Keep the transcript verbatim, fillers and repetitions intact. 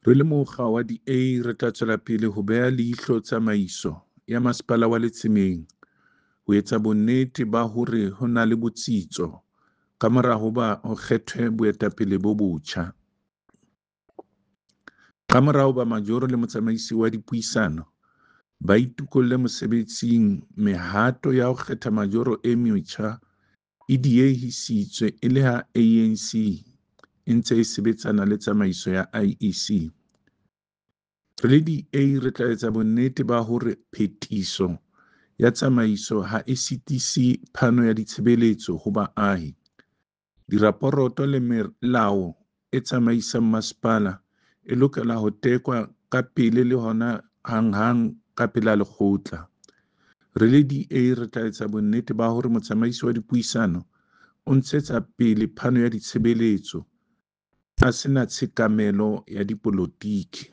Re le mokga wa D A re tla tswela pele ho beha leihlo tsamaiso ya Masepala wa Letsemeng ho etsa bonnete ba hore ho na le botsitso kamora hoba ho kgethwe boetapele bo botjha. Kamora hoba majoro le motsamaisi wa dipuisano ba itokolle mosebetsing mehato ya ho kgetha majoro e metjha e diehisitswe e le ha A N C e ntse e sebetsana le tsamaiso ya I E C. Re le D A re tla etsa bonnete ba hore phetiso ya tsamaiso ha e sitise phano ya ditshebeletso ho baahi. Diraporoto le melao e tsamaisang masepala e lokela ho tekwa kapele le hona hanghang ka pela lekgotla. Re le D A re tla etsa bonnete ba hore motsamaisi wa dipuisano o ntshetsa pele phano ya ditshebeletso a se na tshekamelo ya dipolotiki.